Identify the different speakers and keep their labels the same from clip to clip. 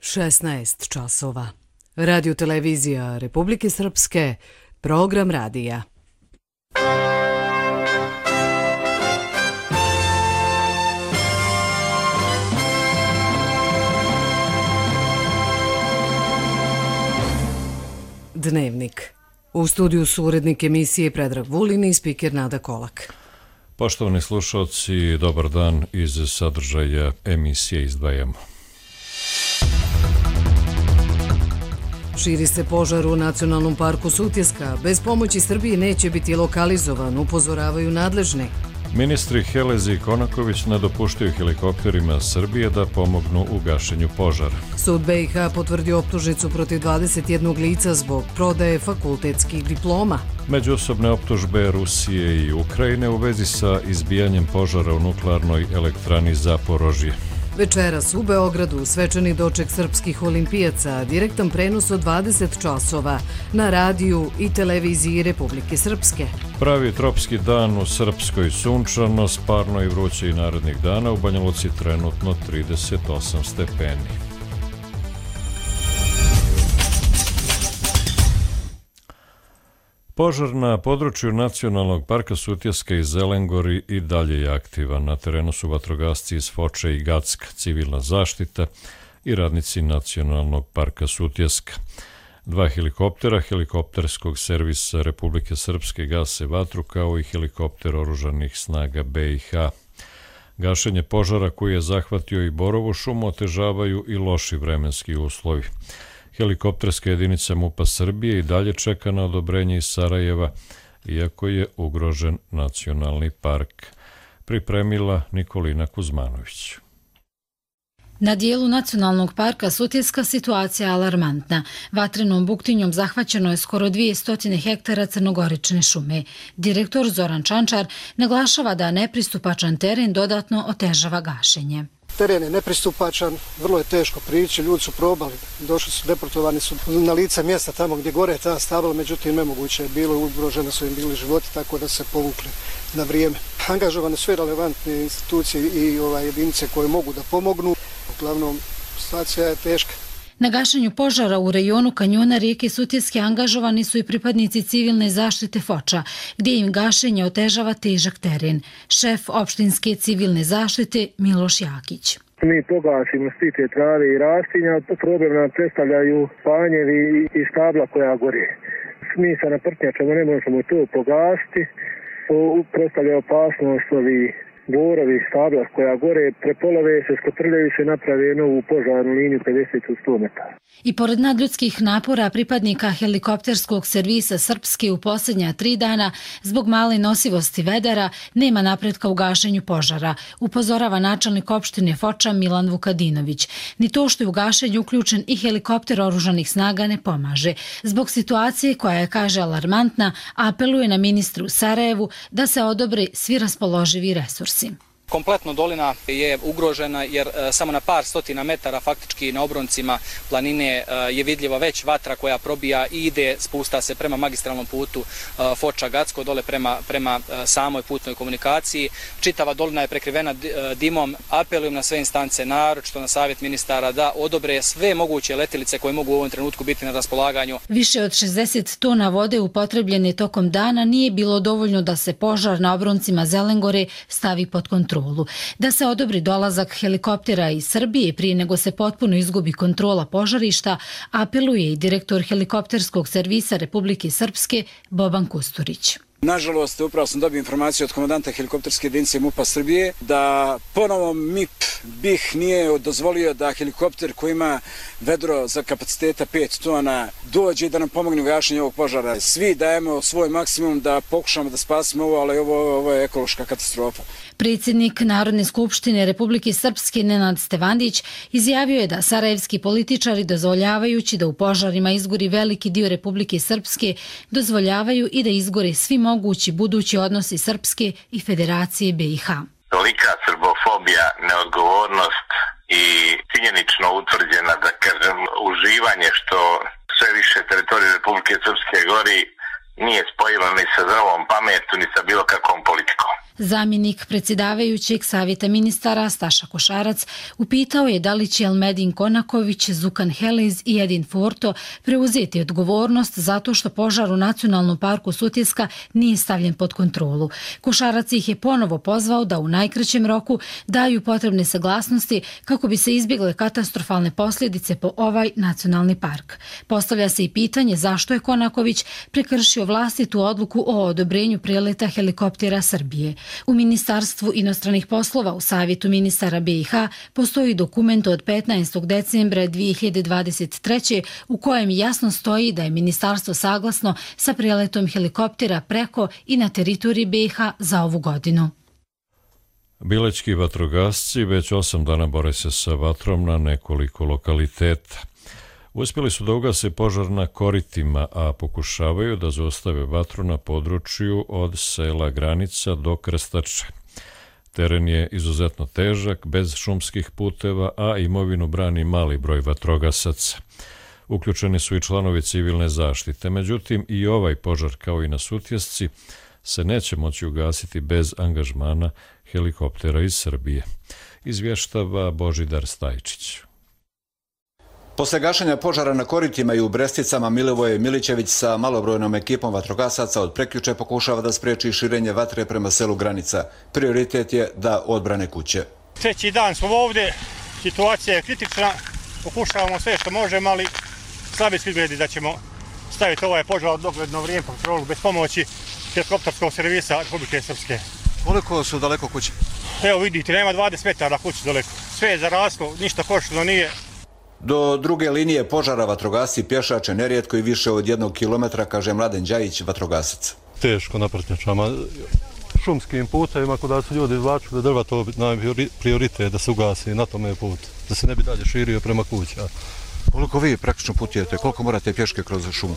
Speaker 1: 16 časova. Radio televizija Republike Srpske, program radija. Dnevnik. U studiju su urednik emisije Predrag Vulin i spiker Nada Kolak.
Speaker 2: Poštovani slušalci, dobar dan. Iz sadržaja emisije izdvajamo.
Speaker 1: Širi se požar u Nacionalnom parku Sutjeska. Bez pomoći Srbije neće biti lokalizovan, upozoravaju nadležni.
Speaker 2: Ministri Helezi i Konaković ne dopuštaju helikopterima Srbije da pomognu u gašenju požara.
Speaker 1: Sud BiH potvrdio optužnicu protiv 21 lica zbog prodaje fakultetskih diploma.
Speaker 2: Međusobne optužbe Rusije i Ukrajine u vezi sa izbijanjem požara u nuklearnoj elektrani Zaporožje.
Speaker 1: Večeras u Beogradu svečani doček srpskih olimpijaca, direktan prenos od 20 časova na radiju i televiziji Republike Srpske.
Speaker 2: Pravi tropski dan u Srpskoj, sunčano, parno i vruće i narednih dana, u Banja Luci trenutno 38 stepeni. Požar na području Nacionalnog parka Sutjeska i Zelengori i dalje je aktivan. Na terenu su vatrogasci iz Foče i Gacka, civilna zaštita i radnici Nacionalnog parka Sutjeska. 2 helikoptera helikopterskog servisa Republike Srpske gase vatru, kao i helikopter oružanih snaga BiH. Gašenje požara koji je zahvatio i Borovu šumu otežavaju i loši vremenski uslovi. Helikopterska jedinica MUP-a Srbije i dalje čeka na odobrenje iz Sarajeva, iako je ugrožen nacionalni park. Pripremila Nikolina Kuzmanović.
Speaker 3: Na dijelu Nacionalnog parka Sutjeska situacija je alarmantna. Vatrenom buktinjom zahvaćeno je skoro 200 hektara crnogorične šume. Direktor Zoran Čančar naglašava da nepristupačan teren dodatno otežava gašenje.
Speaker 4: Teren je nepristupačan, vrlo je teško prići, ljudi su probali, došli su, deportovani su na lice mjesta tamo gdje gore je ta stabla, međutim nemoguće je bilo, ugrožene su im bili životi, tako da se povukli na vrijeme. Angažovane sve relevantne institucije i jedinice koje mogu da pomognu, uglavnom situacija je teška.
Speaker 3: Na gašenju požara u rejonu kanjona rijeke Sutjeske angažovani su i pripadnici civilne zaštite Foča, gdje im gašenje otežava težak teren. Šef opštinske civilne zaštite Miloš Jakić.
Speaker 5: Mi pogasimo stite trave i rastinja, problem nam predstavljaju panjevi i stabla koja gore. Mi sa naprtnjačama ne možemo to pogasiti, predstavlja opasnost ovi borovi, stabla koja gore, prepolove se, skotrljaju se, naprave novu požarnu liniju 50-100 metara.
Speaker 3: I pored nadljudskih napora pripadnika helikopterskog servisa Srpske u posljednja 3 dana, zbog male nosivosti vedara, nema napretka u gašenju požara, upozorava načelnik opštine Foča Milan Vukadinović. Ni to što je u gašenju uključen i helikopter oružanih snaga ne pomaže. Zbog situacije koja je, kaže, alarmantna, apeluje na ministru u Sarajevu da se odobre svi raspoloživi resursi.
Speaker 6: Kompletno dolina je ugrožena jer samo na par stotina metara faktički na obroncima planine je vidljiva već vatra koja probija i ide, spusta se prema magistralnom putu Foča-Gacko, dole prema samoj putnoj komunikaciji. Čitava dolina je prekrivena dimom. Apelujem na sve instance, naročito na savjet ministara, da odobre sve moguće letilice koje mogu u ovom trenutku biti na raspolaganju.
Speaker 3: Više od 60 tona vode upotrebljene tokom dana nije bilo dovoljno da se požar na obroncima Zelengore stavi pod kontrolu. Da se odobri dolazak helikoptera iz Srbije prije nego se potpuno izgubi kontrola požarišta, apeluje i direktor helikopterskog servisa Republike Srpske Boban Kusturić.
Speaker 7: Nažalost, upravo sam dobio informaciju od komandanta helikopterske jedinice MUP-a Srbije da ponovo MIP BiH nije dozvolio da helikopter koji ima vedro za kapaciteta 5 tona dođe i da nam pomogne u gašenju ovog požara. Svi dajemo svoj maksimum da pokušamo da spasimo ovo, ali ovo je ekološka katastrofa.
Speaker 3: Predsjednik Narodne skupštine Republike Srpske Nenad Stevandić izjavio je da sarajevski političari, dozvoljavajući da u požarima izgori veliki dio Republike Srpske, dozvoljavaju i da izgore svi mogući budući odnosi Srpske i Federacije BiH.
Speaker 8: Tolika srbofobija, neodgovornost i činjenično utvrđena, da kažem, uživanje što sve više teritorije Republike Srpske gori nije spojilo ni sa zdravom pametu, ni sa bilo kakvom politikom.
Speaker 3: Zamjenik predsjedavajućeg savjeta ministara Staša Košarac upitao je da li će Elmedin Konaković, Zukan Heliz i Edin Forto preuzeti odgovornost zato što požar u Nacionalnom parku Sutjeska nije stavljen pod kontrolu. Košarac ih je ponovo pozvao da u najkraćem roku daju potrebne saglasnosti kako bi se izbjegle katastrofalne posljedice po ovaj nacionalni park. Postavlja se i pitanje zašto je Konaković prekršio vlastitu odluku o odobrenju preleta helikoptera Srbije. U Ministarstvu inostranih poslova u Savjetu ministara BiH postoji dokument od 15. decembra 2023. u kojem jasno stoji da je ministarstvo saglasno sa preletom helikoptera preko i na teritoriji BiH za ovu godinu.
Speaker 2: Bilećki vatrogasci već 8 dana bore se sa vatrom na nekoliko lokaliteta. Uspjeli su da ugase požar na Koritima, a pokušavaju da zaustave vatru na području od sela Granica do Krstače. Teren je izuzetno težak, bez šumskih puteva, a imovinu brani mali broj vatrogasaca. Uključeni su i članovi civilne zaštite, međutim i ovaj požar kao i na Sutjesci se neće moći ugasiti bez angažmana helikoptera iz Srbije, izvještava Božidar Stajčić.
Speaker 9: Posle gašenja požara na Koritima i u Bresticama, Milivoje Milićević sa malobrojnom ekipom vatrogasaca od prekjuče pokušava da spriječi širenje vatre prema selu Granica. Prioritet je da odbrane kuće.
Speaker 10: Treći dan smo ovdje, situacija je kritična, pokušavamo sve što možemo, ali slabi su izgledi da ćemo staviti ovaj požar dogledno vrijeme pod kontrolu bez pomoći helikopterskog servisa Republike Srpske.
Speaker 11: Koliko su daleko kuće?
Speaker 10: Evo vidite, nema 20 metara kuće daleko. Sve je zaraslo, ništa koštilo nije.
Speaker 9: Do druge linije požara vatrogasci pješače nerijetko i više od 1 kilometra, kaže Mladen Đajić, vatrogasac.
Speaker 12: Teško na Prtnjačama, šumskim putevima, kuda su ljudi izvlačili drva, to nam je prioritet da se ugasi na tome put, da se ne bi dalje širio prema kuća.
Speaker 11: Koliko vi praktično putujete, koliko morate pješke kroz šumu?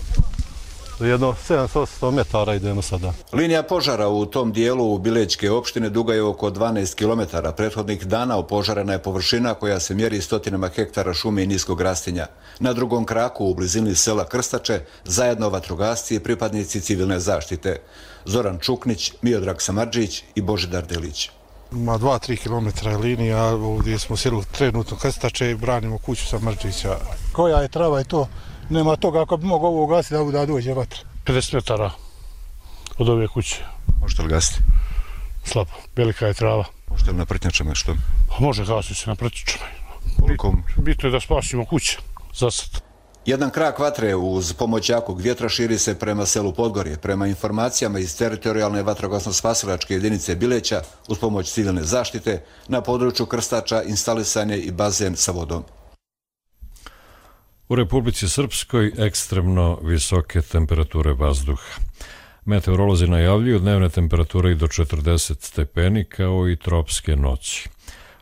Speaker 12: Jedno 700 metara idemo sada.
Speaker 9: Linija požara u tom dijelu Bilećke opštine duga je oko 12 km. Prethodnih dana opožarena je površina koja se mjeri stotinama hektara šume i niskog rastinja. Na drugom kraku u blizini sela Krstače zajedno vatrogasci i pripadnici civilne zaštite. Zoran Čuknić, Miodrag Samardžić i Božidar Delić.
Speaker 13: Ma 2-3 km je linija, ovdje smo sjeli trenutno Krstače i branimo kuću Samardžića.
Speaker 14: Koja je trava i to? Nema toga ako bi mogao ovo ugasiti da dođe vatra.
Speaker 13: 50 metara od ove kuće.
Speaker 11: Možete li gasiti?
Speaker 13: Slabo, velika je trava.
Speaker 11: Možete li na Prtnjačama što?
Speaker 13: Može gasiti se na Prtnjačama.
Speaker 11: Koliko?
Speaker 13: Bitno je da spasimo kuće za sad.
Speaker 9: Jedan krak vatre uz pomoć jakog vjetra širi se prema selu Podgorje. Prema informacijama iz teritorijalne vatrogasno-spasilačke jedinice Bileća, uz pomoć civilne zaštite, na području Krstača instalisan je i bazen sa vodom.
Speaker 2: U Republici Srpskoj ekstremno visoke temperature vazduha. Meteorolozi najavljuju dnevne temperature i do 40 stepeni kao i tropske noći.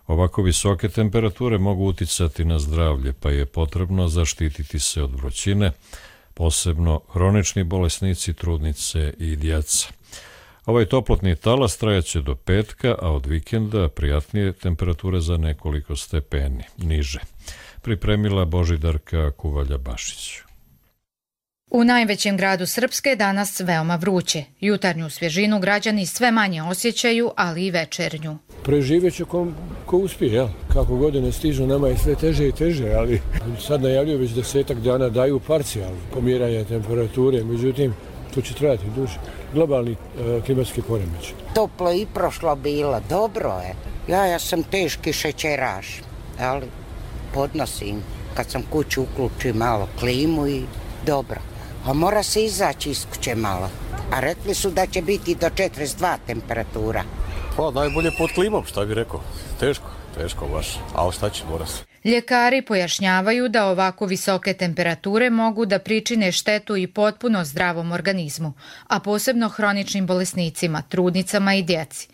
Speaker 2: Ovako visoke temperature mogu uticati na zdravlje, pa je potrebno zaštititi se od vrućine, posebno hronični bolesnici, trudnice i djeca. Ovaj toplotni talas trajaće do petka, a od vikenda prijatnije temperature za nekoliko stepeni niže. Pripremila Božidarka Kuvalja-Bašić.
Speaker 15: U najvećem gradu Srpske danas veoma vruće. Jutarnju svježinu građani sve manje osjećaju, ali i večernju.
Speaker 16: Preživjet će ko uspije, jel? Kako godine stižu, nama je sve teže i teže, ali sad najavljuju već 10 dana daju parcijalno pomjeranje temperature, međutim, to će trajati duže. Globalni klimatski poremećaj.
Speaker 17: Toplo i prošlo bilo, dobro je. Ja sam teški šećeraš, ali podnosim. Kad sam kuću uključim malo klimu i dobro. A mora se izaći iz kuće malo. A rekli su da će biti do 42 temperatura.
Speaker 18: Pa najbolje pod klimom, šta bi rekao. Teško baš, a ostaći mora se.
Speaker 15: Ljekari pojašnjavaju da ovako visoke temperature mogu da pričine štetu i potpuno zdravom organizmu, a posebno hroničnim bolesnicima, trudnicama i djeci.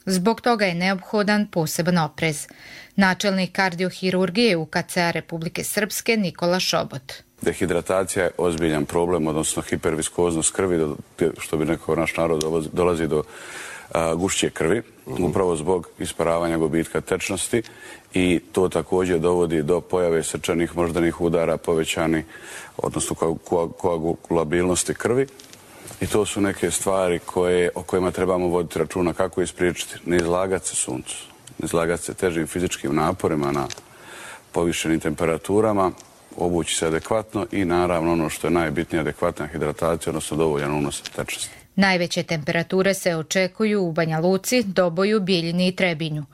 Speaker 15: Zbog toga je neophodan poseban oprez. Načelnik kardiohirurgije UKC-a Republike Srpske Nikola Šobot.
Speaker 19: Dehidratacija je ozbiljan problem, odnosno hiperviskoznost krvi, što bi nekako naš narod dolazi do gušće krvi, upravo zbog isparavanja gubitka tečnosti i to također dovodi do pojave srčanih moždanih udara, povećani, odnosno koagulabilnosti krvi I to su neke stvari o kojima trebamo voditi računa, kako ispriječiti. Ne izlagati se suncu, ne izlagati se težim fizičkim naporima na povišenim temperaturama, obući se adekvatno i naravno ono što je najbitnije, adekvatna hidratacija, odnosno dovoljan unos tečnosti.
Speaker 15: Najveće temperature se očekuju u Banja Luci, Doboju, Bijeljini i Trebinju.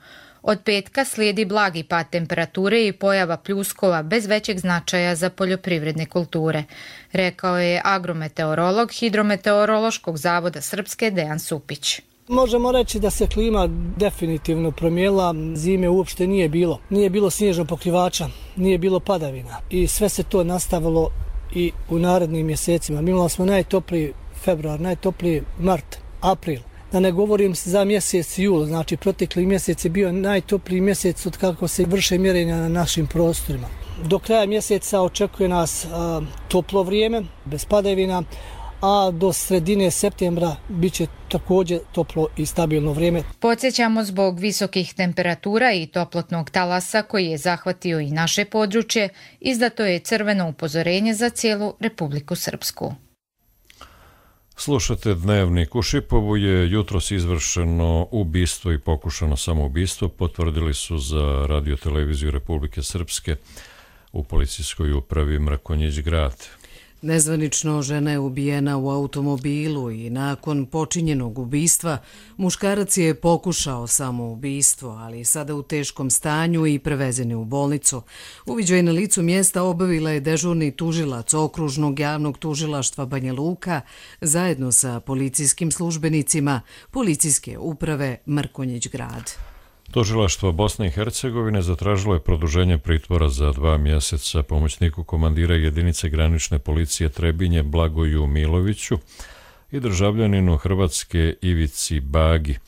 Speaker 15: Od petka slijedi blagi pad temperature i pojava pljuskova bez većeg značaja za poljoprivredne kulture, rekao je agrometeorolog Hidrometeorološkog zavoda Srpske Dejan Supić.
Speaker 20: Možemo reći da se klima definitivno promijenila, zime uopšte nije bilo. Nije bilo snježnog pokrivača, nije bilo padavina i sve se to nastavilo i u narednim mjesecima. Mi imali smo najtopliji februar, najtopliji mart, april. Da ne govorim za mjesec jul, znači protekli mjesec je bio najtopliji mjesec od kako se vrše mjerenja na našim prostorima. Do kraja mjeseca očekuje nas toplo vrijeme, bez padavina, a do sredine septembra bit će također toplo i stabilno vrijeme.
Speaker 15: Podsjećamo, zbog visokih temperatura i toplotnog talasa koji je zahvatio i naše područje, izdato je crveno upozorenje za cijelu Republiku Srpsku.
Speaker 2: Slušate Dnevnik. U Šipovu je jutros izvršeno ubistvo i pokušano samoubistvo, potvrdili su za radioteleviziju Republike Srpske u policijskoj upravi Mrkonjić grad.
Speaker 1: Nezvanično žena je ubijena u automobilu i nakon počinjenog ubistva muškarac je pokušao samoubistvo, ali sada u teškom stanju i prevezen je u bolnicu. Uviđaj na licu mjesta obavila je dežurni tužilac Okružnog javnog tužilaštva Banja Luka zajedno sa policijskim službenicima Policijske uprave Mrkonjić grad.
Speaker 2: Tužilaštvo Bosne i Hercegovine zatražilo je produženje pritvora za 2 mjeseca pomoćniku komandira jedinice granične policije Trebinje Blagoju Miloviću i državljaninu Hrvatske Ivici Bagi,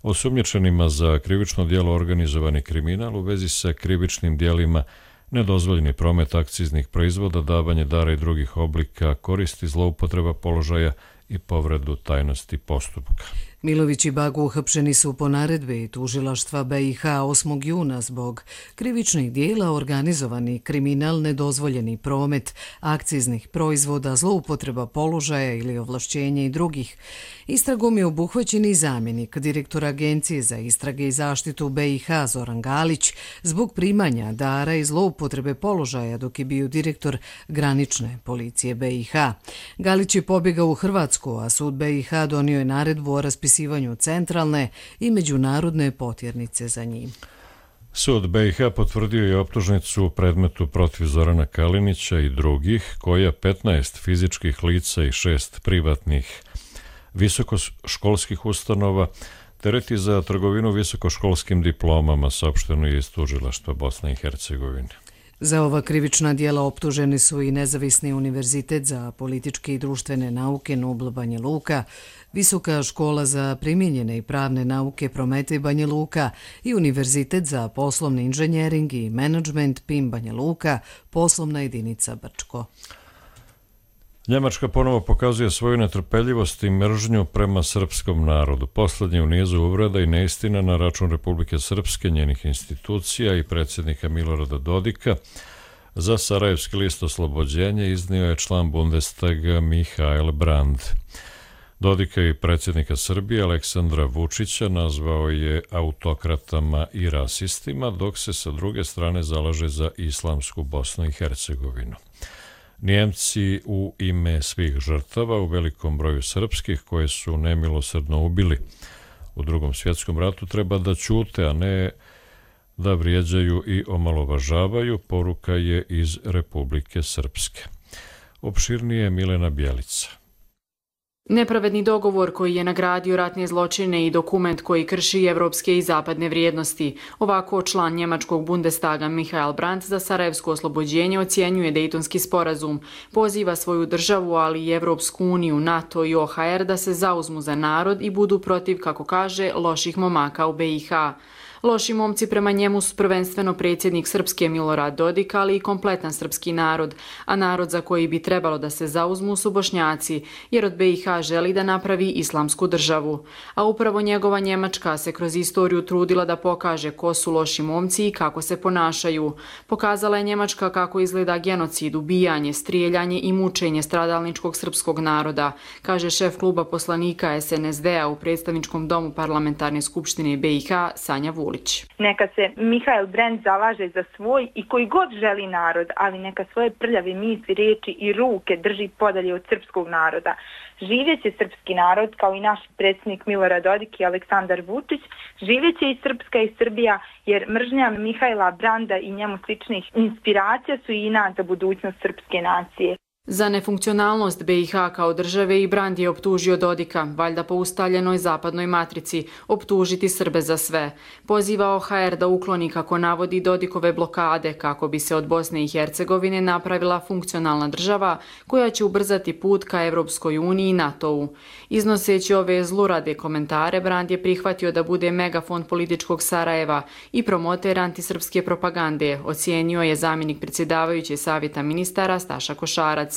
Speaker 2: osumnjičenima za krivično djelo organizovani kriminal u vezi sa krivičnim djelima nedozvoljeni promet akciznih proizvoda, davanje dara i drugih oblika koristi, zloupotreba položaja i povredu tajnosti postupka.
Speaker 1: Milović i Bagu uhapšeni su po naredbi tužilaštva BiH 8. juna zbog krivičnih dijela organizovani kriminal, nedozvoljeni promet akciznih proizvoda, zloupotreba položaja ili ovlašćenja i drugih. Istragom je obuhvaćen i zamjenik direktora Agencije za istrage i zaštitu BiH Zoran Galić zbog primanja dara i zloupotrebe položaja dok je bio direktor granične policije BiH. Galić je pobjegao u Hrvatsku, a sud BiH donio je naredbu o raspisivanju centralne i međunarodne potjernice za njim.
Speaker 2: Sud BiH potvrdio je optužnicu u predmetu protiv Zorana Kalinića i drugih, koja 15 fizičkih lica i 6 privatnih visokoškolskih ustanova tereti za trgovinu visokoškolskim diplomama, saopšteno je iz tužilaštva Bosne i Hercegovine.
Speaker 1: Za ova krivična dijela optuženi su i Nezavisni univerzitet za političke i društvene nauke Nubl Banja Luka, Visoka škola za primijenjene i pravne nauke Prometej Banja Luka i Univerzitet za poslovni inženjering i menadžment PIM Banja Luka, poslovna jedinica Brčko.
Speaker 2: Njemačka ponovo pokazuje svoju netrpeljivost i mržnju prema srpskom narodu. Poslednji u nizu uvreda i neistina na račun Republike Srpske, njenih institucija i predsjednika Milorada Dodika za Sarajevski list Oslobođenje iznio je član Bundestaga Mihael Brand. Dodika i predsjednika Srbije Aleksandra Vučića nazvao je autokratama i rasistima, dok se sa druge strane zalaže za islamsku Bosnu i Hercegovinu. Njemci u ime svih žrtava, u velikom broju srpskih koje su nemilosrdno ubili u Drugom svjetskom ratu, treba da ćute, a ne da vrijeđaju i omalovažavaju, poruka je iz Republike Srpske. Opširnije Milena Bjelica.
Speaker 21: Nepravedni dogovor koji je nagradio ratne zločine i dokument koji krši evropske i zapadne vrijednosti. Ovako član njemačkog Bundestaga Mihael Brandt za Sarajevsko oslobođenje ocjenjuje Dejtonski sporazum. Poziva svoju državu, ali i Evropsku uniju, NATO i OHR da se zauzmu za narod i budu protiv, kako kaže, loših momaka u BiH. Loši momci prema njemu su prvenstveno predsjednik Srpske Milorad Dodik, ali i kompletan srpski narod, a narod za koji bi trebalo da se zauzmu su Bošnjaci, jer od BiH želi da napravi islamsku državu. A upravo njegova Njemačka se kroz istoriju trudila da pokaže ko su loši momci i kako se ponašaju. Pokazala je Njemačka kako izgleda genocid, ubijanje, strijeljanje i mučenje stradalničkog srpskog naroda, kaže šef kluba poslanika SNSD-a u predstavničkom domu Parlamentarne skupštine BiH Sanja Vulić.
Speaker 4: Neka se Mihael Brandt zalaže za svoj i koji god želi narod, ali neka svoje prljave misli, riječi i ruke drži podalje od srpskog naroda. Živjeće srpski narod, kao i naš predsjednik Milorad Dodik i Aleksandar Vučić, živjeće i Srpska i Srbija, jer mržnja Mihaela Branda i njemu sličnih inspiracija su i inat za budućnost srpske nacije.
Speaker 21: Za nefunkcionalnost BiH kao države i Brand je optužio Dodika, valjda po ustaljenoj zapadnoj matrici, optužiti Srbe za sve. Pozivao HR da ukloni, kako navodi, Dodikove blokade kako bi se od Bosne i Hercegovine napravila funkcionalna država koja će ubrzati put ka Evropskoj uniji i NATO-u. Iznoseći ove zlurade komentare, Brand je prihvatio da bude megafon političkog Sarajeva i promoter antisrpske propagande, ocijenio je zamjenik predsjedavajuće savjeta ministara Staša Košarac.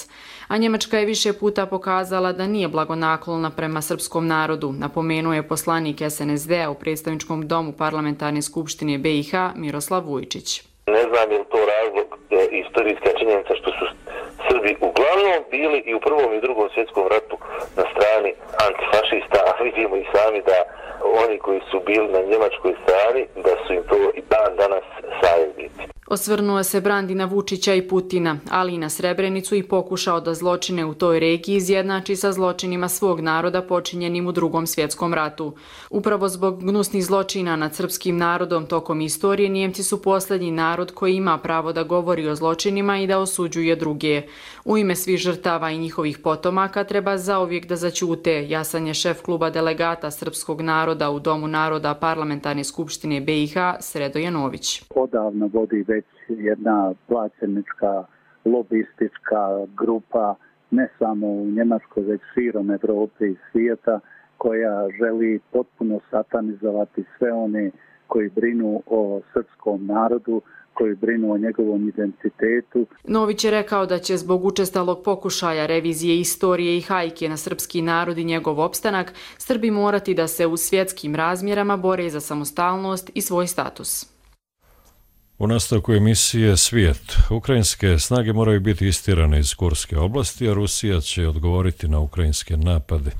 Speaker 21: A Njemačka je više puta pokazala da nije blagonaklona prema srpskom narodu, napomenuo je poslanik SNSD-a u predstavničkom domu Parlamentarne skupštine BiH Miroslav Vujčić.
Speaker 22: Ne znam je li to razlog istorijska činjenica što su Srbi uglavnom bili i u Prvom i Drugom svjetskom ratu na strani antifašista, a vidimo i sami da oni koji su bili na njemačkoj strani, da su im to i dan danas saveznici.
Speaker 21: Osvrnuo se Brand i na Vučića i Putina, ali i na Srebrenicu i pokušao da zločine u toj regiji izjednači sa zločinima svog naroda počinjenim u Drugom svjetskom ratu. Upravo zbog gnusnih zločina nad srpskim narodom tokom istorije, Nijemci su posljednji narod koji ima pravo da govori o zločinima i da osuđuje druge. U ime svih žrtava i njihovih potomaka treba zauvijek da zaćute, jasan je šef kluba delegata srpskog naroda u Domu naroda Parlamentarne skupštine BiH Sredo Janović.
Speaker 23: Odavno vodi već jedna plaćenička, lobistička grupa, ne samo u Njemačkoj, već širom Evrope i svijeta, koja želi potpuno satanizovati sve one koji brinu o srpskom narodu, koji brinu o njegovom identitetu.
Speaker 21: Nović je rekao da će zbog učestalog pokušaja revizije istorije i hajke na srpski narod i njegov opstanak, Srbi morati da se u svjetskim razmjerama bore za samostalnost i svoj status.
Speaker 2: U nastavku emisije Svijet, ukrajinske snage moraju biti istirane iz Kurske oblasti, a Rusija će odgovoriti na ukrajinske napade,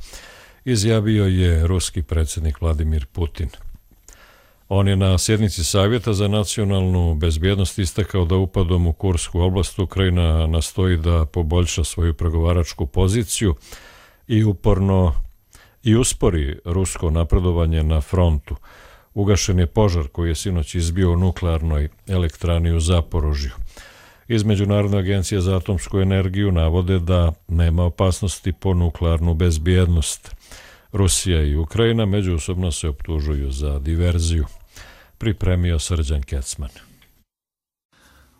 Speaker 2: izjavio je ruski predsjednik Vladimir Putin. On je na sjednici Savjeta za nacionalnu bezbjednost istakao da upadom u Kursku oblast Ukrajina nastoji da poboljša svoju pregovaračku poziciju i uspori rusko napredovanje na frontu. Ugašen je požar koji je sinoć izbio u nuklearnoj elektrani u Zaporožju. Iz Međunarodne agencije za atomsku energiju navode da nema opasnosti po nuklearnu bezbjednost. Rusija i Ukrajina međusobno se optužuju za diverziju. Pripremio Srđan Kecman.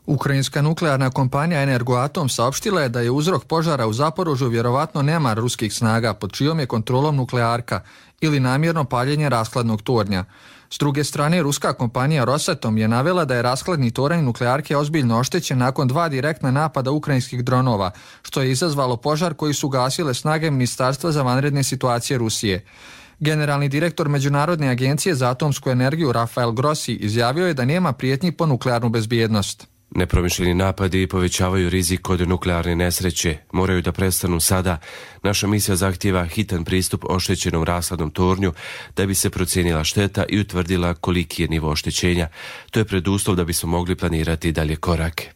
Speaker 24: Ukrajinska nuklearna kompanija Energoatom saopštila je da je uzrok požara u Zaporožju vjerovatno nemar ruskih snaga pod čijom je kontrolom nuklearka ili namjerno paljenje rashladnog tornja. S druge strane, ruska kompanija Rosatom je navela da je rashladni toranj nuklearke ozbiljno oštećen nakon 2 direktna napada ukrajinskih dronova, što je izazvalo požar koji su gasile snage Ministarstva za vanredne situacije Rusije. Generalni direktor Međunarodne agencije za atomsku energiju Rafael Grossi izjavio je da nema prijetnji po nuklearnu bezbjednost.
Speaker 25: Nepromišljeni napadi povećavaju rizik od nuklearne nesreće. Moraju da prestanu sada. Naša misija zahtijeva hitan pristup oštećenom rashladnom tornju da bi se procijenila šteta i utvrdila koliki je nivo oštećenja. To je preduslov da bismo mogli planirati dalje korake.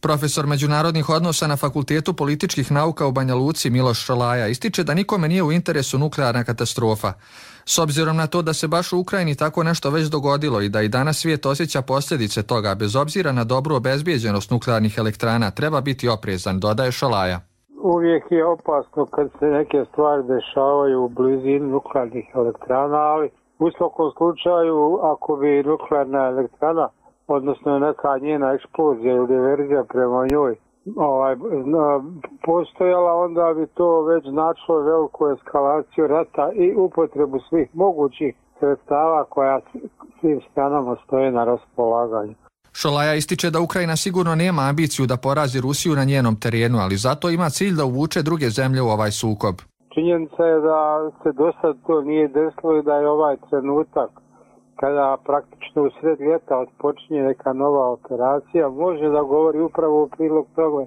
Speaker 24: Profesor međunarodnih odnosa na Fakultetu političkih nauka u Banja Luci Miloš Šolaja ističe da nikome nije u interesu nuklearna katastrofa. S obzirom na to da se baš u Ukrajini tako nešto već dogodilo i da i danas svijet osjeća posljedice toga, bez obzira na dobru obezbijeđenost nuklearnih elektrana, treba biti oprezan, dodaje Šolaja.
Speaker 26: Uvijek je opasno kad se neke stvari dešavaju u blizini nuklearnih elektrana, ali u svakom slučaju ako bi nuklearna elektrana, odnosno neka njena eksplozija ili diverzija prema njoj postojala, onda bi to već značilo veliku eskalaciju rata i upotrebu svih mogućih sredstava koja svim stranama stoje na raspolaganju.
Speaker 24: Šolaja ističe da Ukrajina sigurno nema ambiciju da porazi Rusiju na njenom terenu, ali zato ima cilj da uvuče druge zemlje u ovaj sukob.
Speaker 26: Činjenica je da se do sad to nije desilo i da je ovaj trenutak kada praktično u sred ljeta odpočinje neka nova operacija, može da govori upravo u prilog toga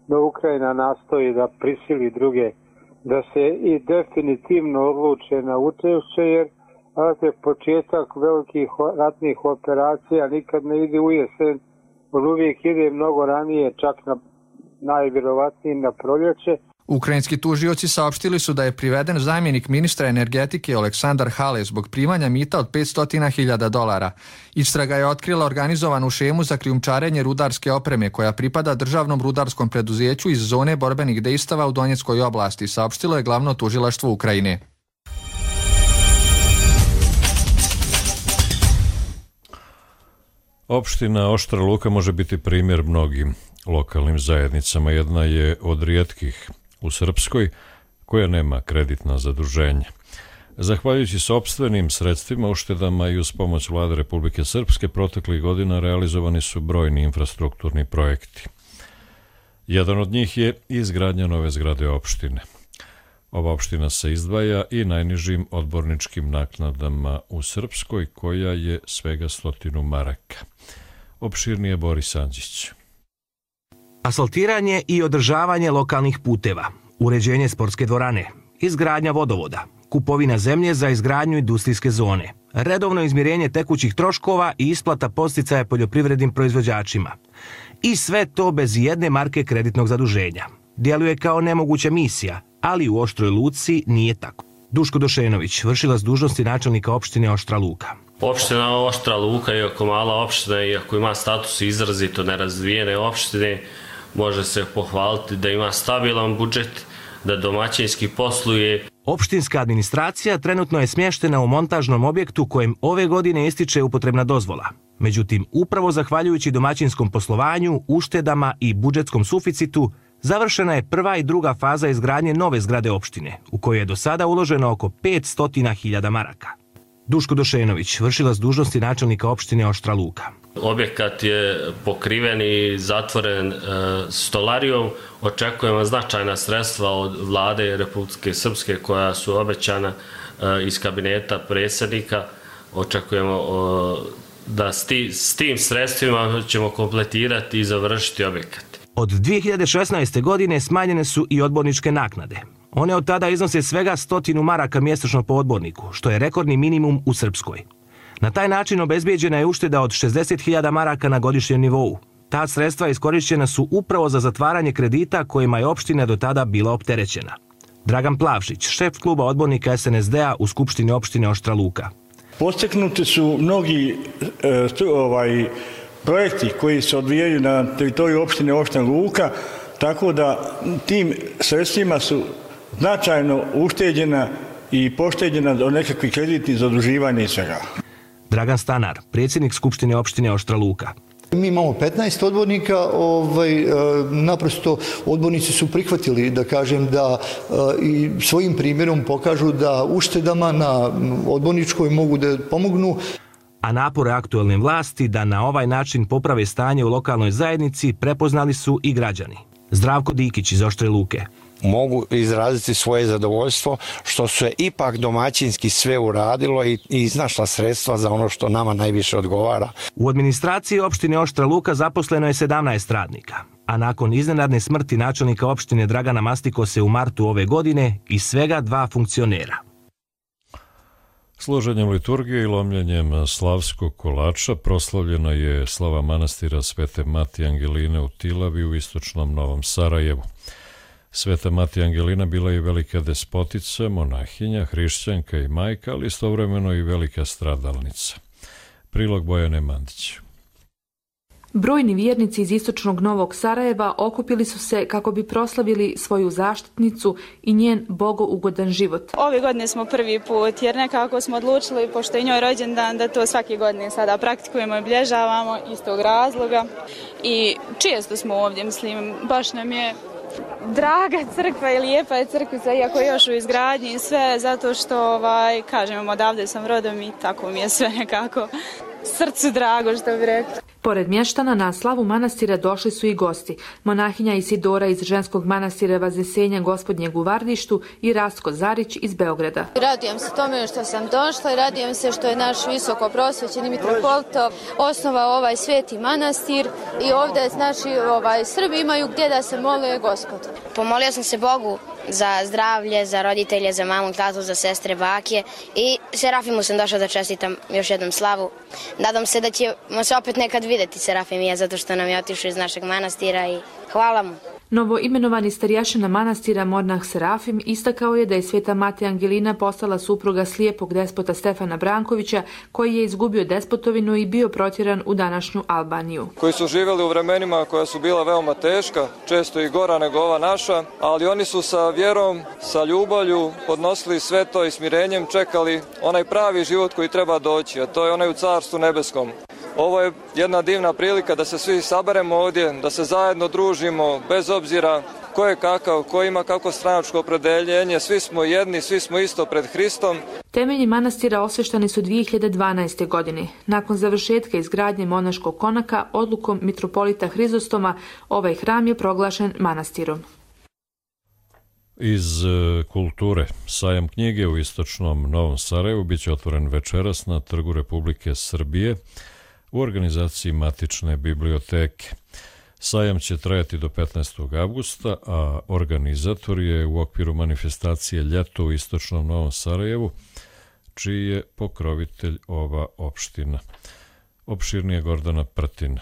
Speaker 26: da Ukrajina nastoji da prisili druge da se i definitivno odluče na učešće, jer početak velikih ratnih operacija nikad ne ide u jesen, on uvijek ide mnogo ranije, čak najvjerovatnije na proljeće.
Speaker 24: Ukrajinski tužioci saopštili su da je priveden zamjenik ministra energetike Oleksandar Hale zbog primanja mita od $500.000. Istraga je otkrila organizovanu šemu za krijumčarenje rudarske opreme koja pripada državnom rudarskom preduzeću iz zone borbenih dejstava u Donjeckoj oblasti, saopštilo je glavno tužilaštvo Ukrajine.
Speaker 2: Opština Oštra Luka može biti primjer mnogim lokalnim zajednicama. Jedna je od rijetkih u Srpskoj koja nema kreditna zaduženja. Zahvaljujući sopstvenim sredstvima, uštedama i uz pomoć Vlade Republike Srpske proteklih godina realizovani su brojni infrastrukturni projekti. Jedan od njih je izgradnja nove zgrade opštine. Ova opština se izdvaja i najnižim odborničkim naknadama u Srpskoj, koja je svega 100 maraka. Opširnije Boris Andžić.
Speaker 3: Asfaltiranje i održavanje lokalnih puteva, uređenje sportske dvorane, izgradnja vodovoda, kupovina zemlje za izgradnju industrijske zone, redovno izmirenje tekućih troškova i isplata podsticaja poljoprivrednim proizvođačima. I sve to bez jedne marke kreditnog zaduženja. Djeluje kao nemoguća misija, ali u Oštroj Luci nije tako. Duško Došenović, vršilac dužnosti načelnika opštine Oštra Luka.
Speaker 5: Opština Oštra Luka, iako mala opština, iako ima status izrazito nerazvijene opštine, može se pohvaliti da ima stabilan budžet, da domaćinski posluje.
Speaker 3: Opštinska administracija trenutno je smještena u montažnom objektu kojem ove godine ističe upotrebna dozvola. Međutim, upravo zahvaljujući domaćinskom poslovanju, uštedama i budžetskom suficitu, završena je prva i druga faza izgradnje nove zgrade opštine, u kojoj je do sada uloženo oko 500.000 maraka. Duško Došenović, vršilac dužnosti načelnika opštine Oštra Luka.
Speaker 5: Objekat je pokriven i zatvoren stolarijom. Očekujemo značajna sredstva od Vlade Republike Srpske koja su obećana iz kabineta predsjednika. Očekujemo da s tim sredstvima ćemo kompletirati i završiti objekat.
Speaker 3: Od 2016. godine smanjene su i odborničke naknade. One od tada iznose svega 100 maraka mjesečno po odborniku, što je rekordni minimum u Srpskoj. Na taj način obezbijeđena je ušteda od 60.000 maraka na godišnjem nivou. Ta sredstva iskorišćena su upravo za zatvaranje kredita kojima je opština do tada bila opterećena. Dragan Plavšić, šef kluba odbornika SNSD-a u Skupštini opštine Oštra Luka.
Speaker 6: Postignuti su mnogi projekti koji se odvijaju na teritoriju opštine Oštra Luka, tako da tim sredstvima su značajno ušteđena i pošteđena od nekakvih kreditnih zaduživanja i svega.
Speaker 3: Dragan Stanar, predsjednik Skupštine opštine Oštra Luka.
Speaker 7: Mi imamo 15 odbornika, naprosto odbornici su prihvatili, da kažem, da i svojim primjerom pokažu da uštedama na odborničkoj mogu da pomognu.
Speaker 3: A napore aktualne vlasti da na ovaj način poprave stanje u lokalnoj zajednici prepoznali su i građani. Zdravko Dikić iz Oštre Luke.
Speaker 8: Mogu izraziti svoje zadovoljstvo što se ipak domaćinski sve uradilo i iznašla sredstva za ono što nama najviše odgovara.
Speaker 3: U administraciji opštine Oštra Luka zaposleno je 17 radnika, a nakon iznenadne smrti načelnika opštine Dragana Mastikose u martu ove godine i svega 2 funkcionera.
Speaker 2: Složenjem liturgije i lomljenjem slavskog kolača proslavljena je slava manastira Svete Matije Angeline u Tilavi u istočnom Novom Sarajevu. Sveta Matija Angelina bila je velika despotica, monahinja, hrišćanka i majka, ali istovremeno i velika stradalnica. Prilog Bojane Mandić.
Speaker 10: Brojni vjernici iz istočnog Novog Sarajeva okupili su se kako bi proslavili svoju zaštitnicu i njen bogougodan život.
Speaker 27: Ove godine smo prvi put jer nekako smo odlučili, pošto je njoj rođendan, da to svake godine sada praktikujemo i obilježavamo iz tog razloga. I često smo ovdje, mislim, baš nam je Draga crkva i lijepa je crkvica, iako je još u izgradnji i sve, zato što, kažem, odavde sam rodom i tako mi je sve nekako srcu drago, što bi rekla.
Speaker 10: Pored mještana na slavu manastira došli su i gosti. Monahinja Isidora iz ženskog manastira Vaznesenja Gospodnjeg u Vardištu i Rastko Zarić iz Beograda.
Speaker 9: Radujem se tome što sam došla i radujem se što je naš visoko prosvećeni mitropolita osnovao ovaj sveti manastir i ovdje Srbi imaju gdje da se mole Gospodu.
Speaker 11: Pomolio sam se Bogu za zdravlje, za roditelje, za mamu, tatu, za sestre, bake i Serafimu sam došla da čestitam još jednom slavu. Nadam se da ćemo se opet nekad vidjeti Serafim i ja, zato što nam je otišao iz našeg manastira i hvala mu.
Speaker 10: Novo imenovani starješina manastira Monah Serafim istakao je da je sveta mati Angelina postala supruga slijepog despota Stefana Brankovića, koji je izgubio despotovinu i bio protjeran u današnju Albaniju.
Speaker 12: Koji su živjeli u vremenima koja su bila veoma teška, često i gora nego ova naša, ali oni su sa vjerom, sa ljubavlju podnosili sve to i smirenjem čekali onaj pravi život koji treba doći, a to je onaj u Carstvu nebeskom. Ovo je jedna divna prilika da se svi saberemo ovdje, da se zajedno družimo, bez obzira ko je kakav, ko ima kako stranačko opredeljenje, svi smo jedni, svi smo isto pred Hristom.
Speaker 10: Temelji manastira osveštani su 2012. godine. Nakon završetka izgradnje monaškog konaka, odlukom mitropolita Hrizostoma, ovaj hram je proglašen manastirom.
Speaker 2: Iz kulture, sajam knjige u istočnom Novom Sarajevu biće otvoren večeras na Trgu Republike Srbije u organizaciji Matične biblioteke. Sajam će trajati do 15. avgusta, a organizator je u okviru manifestacije Ljeto u istočnom Novom Sarajevu, čiji je pokrovitelj ova opština. Opširnije Gordana Prtina.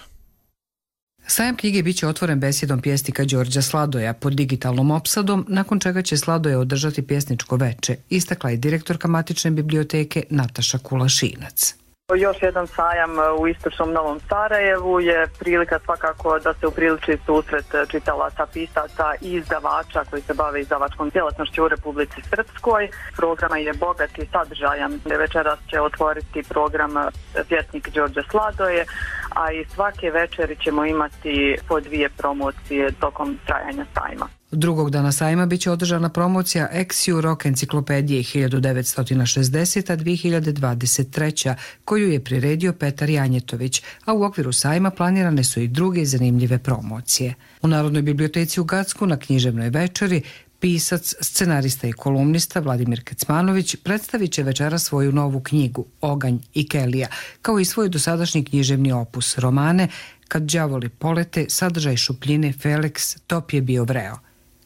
Speaker 13: Sajam knjige biće otvoren besjedom pjesnika Đorđa Sladoja pod digitalnom opsadom, nakon čega će Sladoja održati pjesničko veče, istakla je direktorka Matične biblioteke Nataša Kulašinac.
Speaker 14: Još jedan sajam u istočnom Novom Sarajevu je prilika svakako da se upriliči susret čitalaca, pisaca i izdavača koji se bave izdavačkom djelatnošću u Republici Srpskoj. Program je bogat i sadržajan. Večeras će otvoriti program pjesnik Đorđe Sladoje, a i svake večeri ćemo imati po 2 promocije tokom trajanja sajma.
Speaker 13: Drugog dana sajma biće održana promocija Exiu Rock enciklopedije 1920-2023, koju je priredio Petar Janjetović, a u okviru sajma planirane su i druge zanimljive promocije. U Narodnoj biblioteci u Gacku na književnoj večeri pisac, scenarista i kolumnista Vladimir Kecmanović predstavit će večera svoju novu knjigu Oganj i Kelija, kao i svoj dosadašnji književni opus romane Kad đavoli polete, Sadržaj šupljine, Feleks, Top je bio vreo.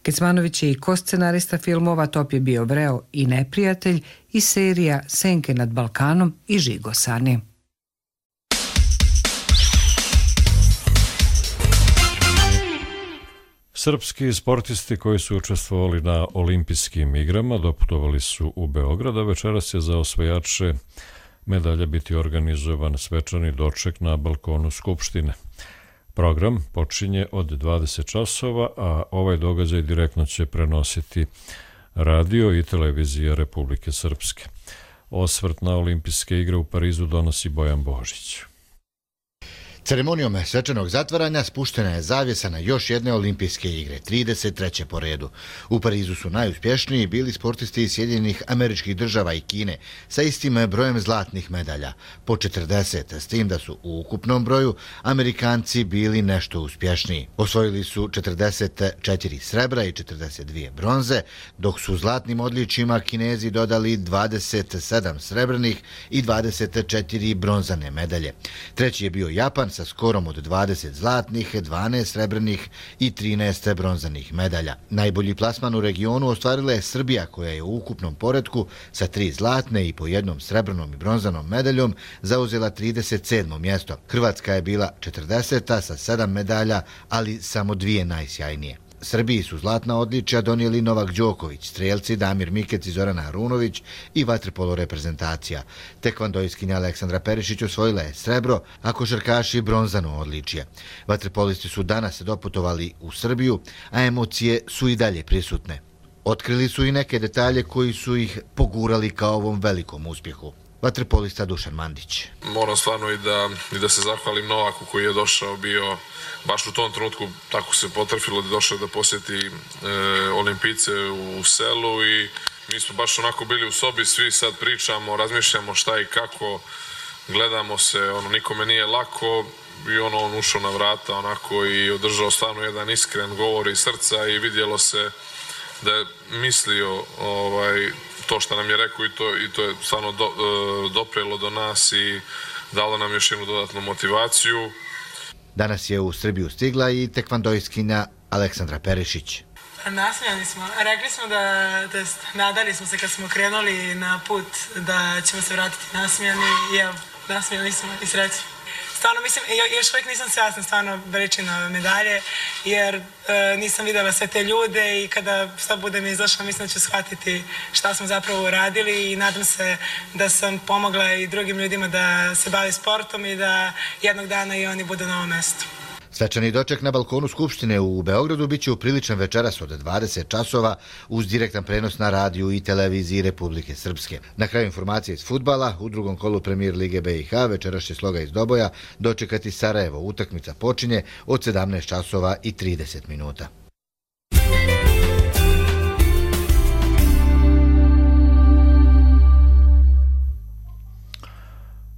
Speaker 13: Kecmanović je i koscenarista filmova Top je bio vreo i Neprijatelj i serija Senke nad Balkanom i Žigosani.
Speaker 2: Srpski sportisti koji su učestvovali na olimpijskim igrama doputovali su u Beograd, a večeras će za osvajače medalja biti organizovan svečani doček na balkonu Skupštine. Program počinje od 20 časova, a ovaj događaj direktno će prenositi radio i televizija Republike Srpske. Osvrt na olimpijske igre u Parizu donosi Bojan Božić.
Speaker 16: Ceremonijom svečanog zatvaranja spuštena je zavjesa na još jedne olimpijske igre, 33. po redu. U Parizu su najuspješniji bili sportisti iz Sjedinjenih Američkih Država i Kine sa istim brojem zlatnih medalja, po 40, s tim da su u ukupnom broju Amerikanci bili nešto uspješniji. Osvojili su 44 srebra i 42 bronze, dok su zlatnim odličjima Kinezi dodali 27 srebrnih i 24 bronzane medalje. Treći je bio Japan sa skorom od 20 zlatnih, 12 srebrnih i 13 bronzanih medalja. Najbolji plasman u regionu ostvarila je Srbija, koja je u ukupnom poretku sa 3 zlatne i po 1 srebrnom i bronzanom medaljom zauzela 37. mjesto. Hrvatska je bila 40. sa 7 medalja, ali samo 2 najsjajnije. Srbiji su zlatna odličja donijeli Novak Đoković, strelci Damir Mikec i Zorana Arunović i vaterpolo reprezentacija. Tekvandojskinja Aleksandra Perišić osvojila je srebro, a košarkaši bronzano odličje. Vaterpolisti su danas doputovali u Srbiju, a emocije su i dalje prisutne. Otkrili su i neke detalje koji su ih pogurali ka ovom velikom uspjehu. vaterpolista Dušan Mandić.
Speaker 1: Moram stvarno i da se zahvalim Novaku koji je došao, bio baš u tom trenutku, tako se potrefilo da je došao da posjeti Olimpijce u selu i mi smo baš onako bili u sobi, svi sad pričamo, razmišljamo šta i kako, gledamo se, nikome nije lako i on ušao na vrata onako i održao stvarno jedan iskren govor iz srca i vidjelo se da je mislio to što nam je rekao i to je stvarno doprelo do nas i dalo nam još jednu dodatnu motivaciju.
Speaker 16: Danas je u Srbiju stigla i tekvandojskinja Aleksandra Perišić.
Speaker 4: Nasmijani smo. Rekli smo nadali smo se kad smo krenuli na put da ćemo se vratiti nasmijani i evo, nasmijani smo i sreći. Stvarno mislim, još uvijek nisam svjesna stvarno veličine ove medalje, jer nisam vidjela sve te ljude i kada sad budem izašla mislim da ću shvatiti šta smo zapravo uradili i nadam se da sam pomogla i drugim ljudima da se bavi sportom i da jednog dana i oni budu na ovom mjestu.
Speaker 16: Svečani doček na balkonu Skupštine u Beogradu biće upriličan večeras od 20 časova uz direktan prenos na radiju i televiziji Republike Srpske. Na kraju informacije iz fudbala, u drugom kolu Premier Lige BiH večeras će Sloga iz Doboja dočekati Sarajevo. Utakmica počinje od 17 časova i 30 minuta.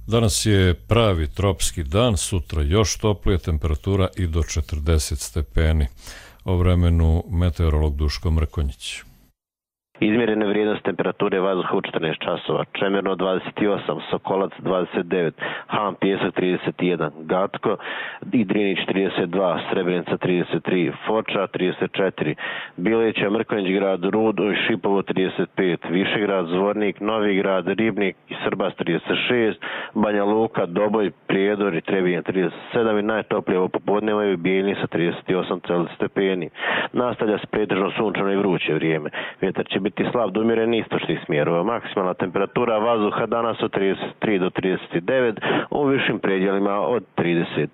Speaker 2: Danas je pravi tropski dan, sutra još toplije, temperatura i do 40 stepeni. O vremenu meteorolog Duško Mrkonjić.
Speaker 15: Izmjerene vrijednosti temperature vazduha u 14 časova. Čemerno 28, Sokolac 29, Han Pjesak 31, Gatko i Drinić 32, Srebrenica 33, Foča 34, Bileća, Mrkonjić grad, Rud i Šipovo 35, Višegrad, Zvornik, Novi grad, Ribnik i Srbas 36, Banja Luka, Doboj, Prijedor i Trebinje 37 i najtoplije ovo popodne imaju Bijeljni sa 38 stepeni. Nastavlja se pretežno sunčano i vruće vrijeme. Vjetar će biti slab do umjeren istočnih smjerova. Maksimalna temperatura vazduha danas od 33 do 39, u višim predjelima od 30.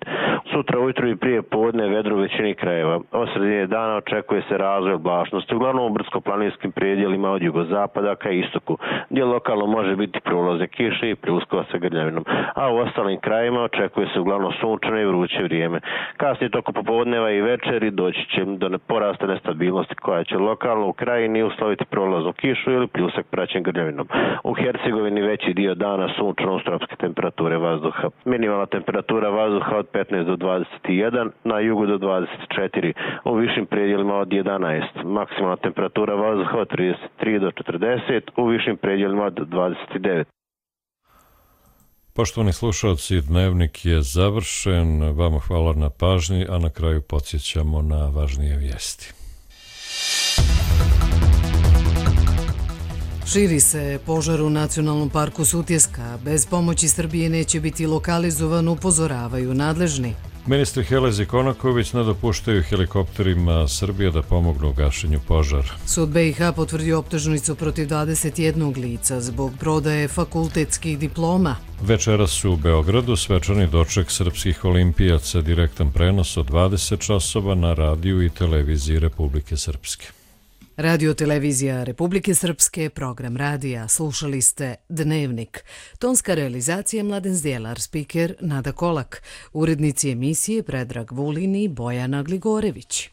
Speaker 15: Sutra ujutro i prije podne vedro u većini krajeva. Od sredine dana očekuje se razvoj oblačnosti, uglavnom u brdsko-planinskim predjelima od jugozapada ka istoku, gdje lokalno može biti prolaze kiše i pljuskova sa grljavinom, a u ostalim krajevima očekuje se uglavnom sunčano i vruće vrijeme. Kasnije toko popodneva i večeri doći će do porasta nestabilnosti koja će lokalno u krajini usloviti prolaznu kišu ili pljusak praćen grljavinom. U Hercegovini veći dio dana sunčano uz tropske temperature vazduha. Minimalna temperatura vazduha od 15 do 21, na jugu do 24, u višim predjelima od 11. Maksimalna temperatura vazduha od 33 do 40, u višim predjelima od 29.
Speaker 2: Poštovani slušalci, dnevnik je završen. Vama hvala na pažnji, a na kraju podsjećamo na važnije vijesti.
Speaker 17: Širi se požar u Nacionalnom parku Sutjeska. Bez pomoći Srbije neće biti lokalizovan, upozoravaju nadležni.
Speaker 2: Ministri Helez i Konaković ne dopuštaju helikopterima Srbije da pomognu u gašenju požara.
Speaker 17: Sud BiH potvrdio optužnicu protiv 21 lica zbog prodaje fakultetskih diploma.
Speaker 2: Večeras u Beogradu svečani doček srpskih olimpijaca, direktan prenos od 20 časova na radiju i televiziji Republike Srpske.
Speaker 17: Radio televizija Republike Srpske, program radija, slušali ste Dnevnik. Tonska realizacija Mladen Zdjelar, spiker Nada Kolak, urednici emisije Predrag Vulin i Bojana Gligorević.